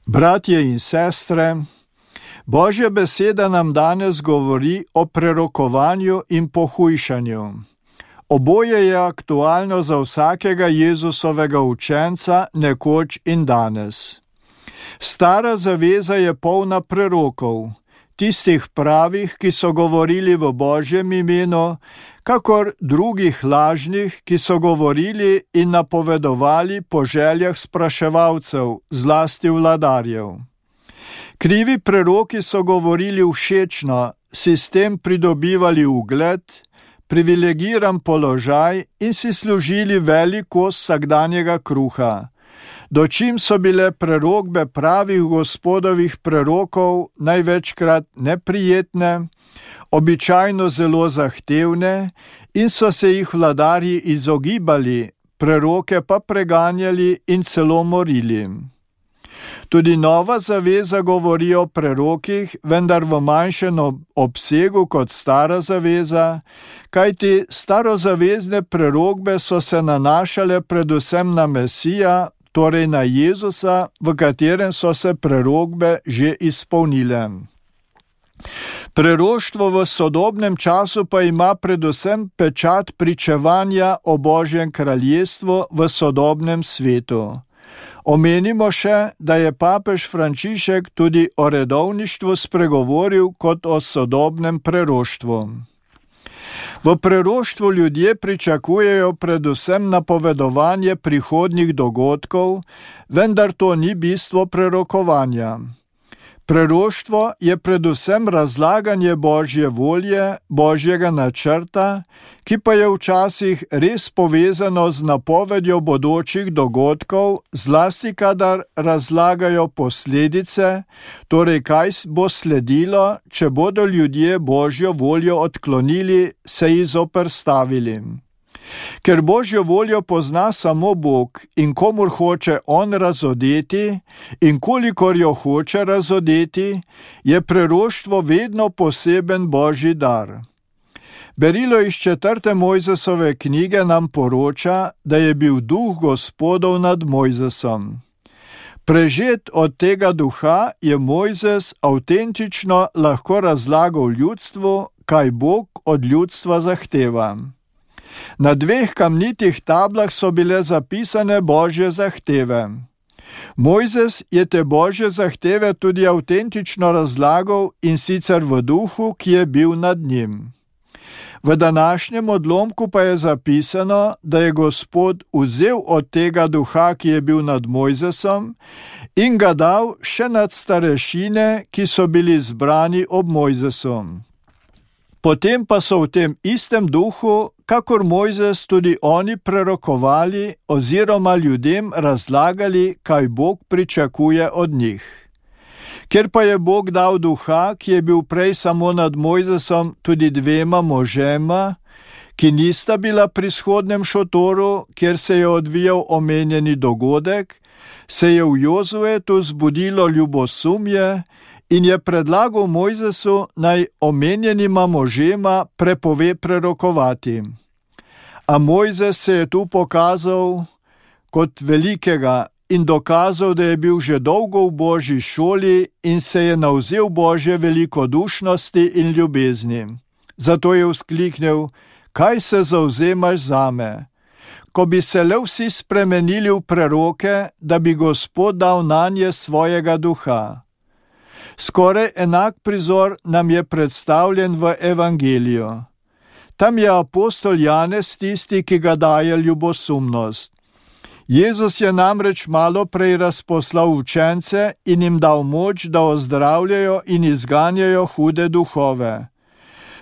Bratje in sestre, Božja beseda nam danes govori o prerokovanju in pohujšanju. Oboje je aktualno za vsakega Jezusovega učenca nekoč in danes. Stara zaveza je polna prerokov, tistih pravih, ki so govorili v Božjem imenu, kakor drugih lažnih, ki so govorili in napovedovali po željah spraševalcev, zlasti vladarjev. Krivi preroki so govorili všečno, si s tem pridobivali ugled, privilegiran položaj in si služili velik kos vsakdanjega kruha. Dočim so bile prerokbe pravih Gospodovih prerokov največkrat neprijetne, običajno zelo zahtevne in so se jih vladarji izogibali, preroke pa preganjali in celo morili. Tudi Nova zaveza govori o prerokih, vendar v manjšem obsegu kot Stara zaveza, kajti starozavezne prerokbe so se nanašale predvsem na Mesija, torej na Jezusa, v katerem so se prerokbe že izpolnile. Preroštvo v sodobnem času pa ima predvsem pečat pričevanja o Božjem kraljestvu v sodobnem svetu. Omenimo še, da je papež Frančišek tudi o redovništvu spregovoril kot o sodobnem preroštvu. V preroštvu ljudje pričakujejo predvsem napovedovanje prihodnjih dogodkov, vendar to ni bistvo prerokovanja. Preroštvo je predvsem razlaganje Božje volje, Božjega načrta, ki pa je včasih res povezano z napovedjo bodočih dogodkov, zlasti kadar razlagajo posledice, torej kaj bo sledilo, če bodo ljudje Božjo voljo odklonili, se ji zoperstavili. Ker Božjo voljo pozna samo Bog in komur hoče on razodeti in kolikor jo hoče razodeti, je preroštvo vedno poseben Božji dar. Berilo iz 4. Mojzesove knjige nam poroča, da je bil duh Gospodov nad Mojzesom. Prežet od tega duha je Mojzes avtentično lahko razlagal ljudstvu, kaj Bog od ljudstva zahteva. Na 2 kamnitih tablah so bile zapisane Božje zahteve. Mojzes je te Božje zahteve tudi avtentično razlagal in sicer v duhu, ki je bil nad njim. V današnjem odlomku pa je zapisano, da je Gospod vzel od tega duha, ki je bil nad Mojzesom, in ga dal še nad starešine, ki so bili zbrani ob Mojzesu. Potem pa so v tem istem duhu, kakor Mojzes, tudi oni prerokovali oziroma ljudem razlagali, kaj Bog pričakuje od njih. Ker pa je Bog dal duha, ki je bil prej samo nad Mojzesom, tudi 2 možema, ki nista bila pri shodnem šotoru, kjer se je odvijal omenjeni dogodek, se je v Jozuetu zbudilo ljubosumje in je predlagal Mojzesu, naj omenjenima možema prepove prerokovati. A Mojzes se je tu pokazal kot velikega in dokazal, da je bil že dolgo v Božji šoli in se je navzel Božje velikodušnosti in ljubezni. Zato je vzkliknil: kaj se zavzemaš zame? Ko bi se le vsi spremenili v preroke, da bi Gospod dal nanje svojega duha. Skoraj enak prizor nam je predstavljen v Evangeliju. Tam je apostol Janez tisti, ki ga daje ljubosumnost. Jezus je namreč malo prej razposlal učence in jim dal moč, da ozdravljajo in izganjajo hude duhove.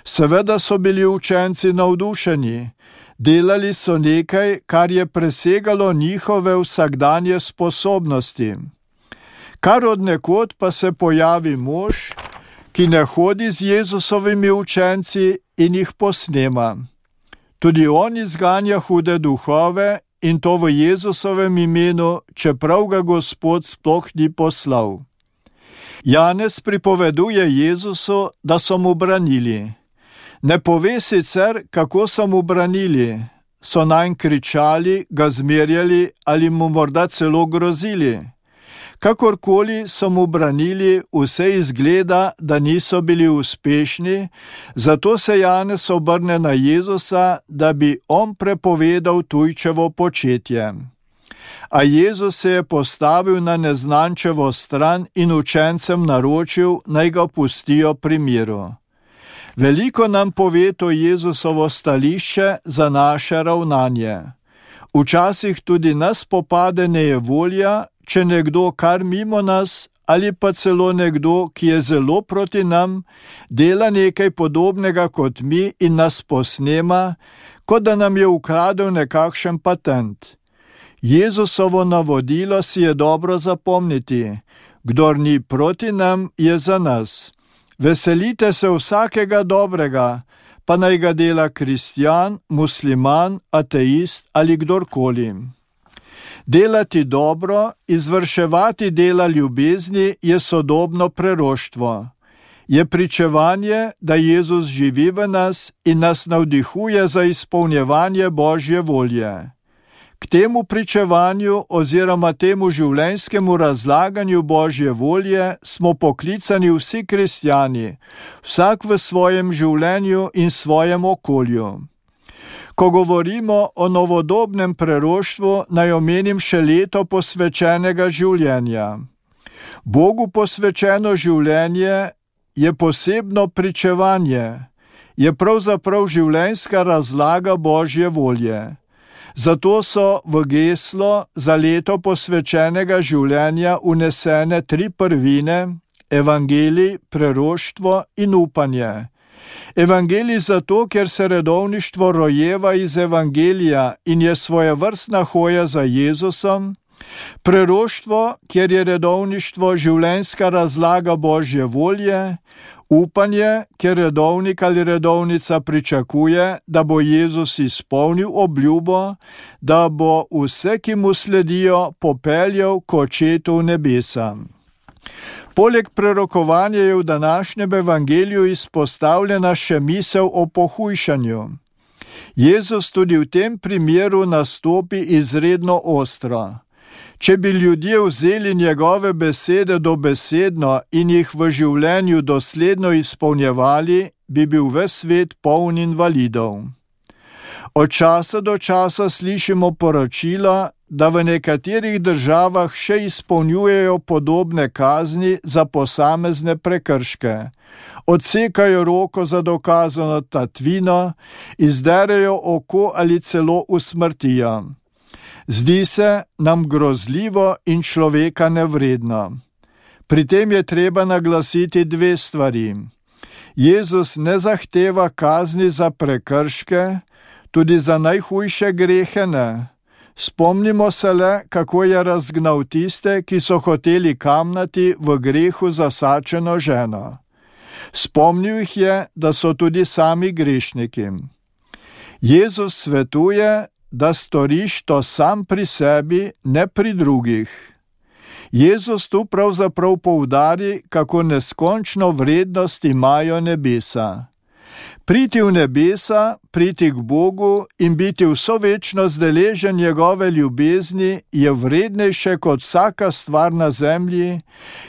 Seveda so bili učenci navdušeni. Delali so nekaj, kar je presegalo njihove vsakdanje sposobnosti. Kar od nekod pa se pojavi mož, ki ne hodi z Jezusovimi učenci in jih posnema. Tudi on izganja hude duhove in to v Jezusovem imenu, čeprav ga Gospod sploh ni poslal. Janez pripoveduje Jezusu, da so mu branili. Ne pove sicer, kako so mu branili. So nanj kričali, ga zmerjali ali mu morda celo grozili. Kakorkoli so mu branili, vse izgleda, da niso bili uspešni, zato se Janez obrne na Jezusa, da bi on prepovedal tujčevo početje. A Jezus se je postavil na neznančevo stran in učencem naročil, naj ga pustijo pri miru. Veliko nam pove to Jezusovo stališče za naše ravnanje. Včasih tudi nas popade nejevolja, če nekdo kar mimo nas ali pa celo nekdo, ki je zelo proti nam, dela nekaj podobnega kot mi in nas posnema, kot da nam je ukradel nekakšen patent. Jezusovo navodilo si je dobro zapomniti: kdor ni proti nam, je za nas. Veselite se vsakega dobrega, pa naj ga dela kristjan, musliman, ateist ali kdorkoli. Delati dobro, izvrševati dela ljubezni je sodobno preroštvo. Je pričevanje, da Jezus živi v nas in nas navdihuje za izpolnjevanje Božje volje. K temu pričevanju oziroma temu življenjskemu razlaganju Božje volje smo poklicani vsi kristjani, vsak v svojem življenju in svojem okolju. Ko govorimo o novodobnem preroštvu, naj omenim še leto posvečenega življenja. Bogu posvečeno življenje je posebno pričevanje, je pravzaprav življenjska razlaga Božje volje. Zato so v geslo za leto posvečenega življenja unesene 3 prvine: evangelij, preroštvo in upanje. Evangelij zato, ker se redovništvo rojeva iz evangelija in je svojevrstna hoja za Jezusom, preroštvo, ker je redovništvo življenjska razlaga Božje volje, upanje, ker redovnik ali redovnica pričakuje, da bo Jezus izpolnil obljubo, da bo vse, ki mu sledijo, popeljal k Očetu v nebesa. Poleg prerokovanja je v današnjem evangeliju izpostavljena še misel o pohujšanju. Jezus tudi v tem primeru nastopi izredno ostro. Če bi ljudje vzeli njegove besede dobesedno in jih v življenju dosledno izpolnjevali, bi bil ves svet poln invalidov. Od časa do časa slišimo poročila, da v nekaterih državah še izpolnjujejo podobne kazni za posamezne prekrške. Odsekajo roko za dokazano tatvino, izderejo oko ali celo usmrtijo. Zdi se nam grozljivo in človeka nevredno. Pri tem je treba naglasiti 2 stvari. Jezus ne zahteva kazni za prekrške, tudi za najhujše grehe ne. Spomnimo se le, kako je razgnal tiste, ki so hoteli kamnati v grehu zasačeno ženo. Spomnil jih je, da so tudi sami grešniki. Jezus svetuje, da storiš to sam pri sebi, ne pri drugih. Jezus tu pravzaprav poudari, kako neskončno vrednost imajo nebesa. Priti v nebesa, priti k Bogu in biti vso večnost deležen njegove ljubezni je vrednejše kot vsaka stvar na zemlji,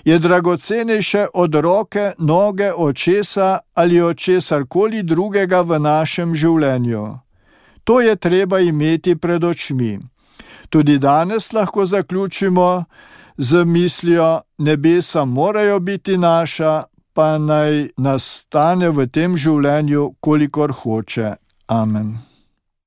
je dragocenejše od roke, noge, očesa ali od česarkoli drugega v našem življenju. To je treba imeti pred očmi. Tudi danes lahko zaključimo z mislijo: nebesa morajo biti naša, pa naj nastane v tem življenju, kolikor hoče. Amen.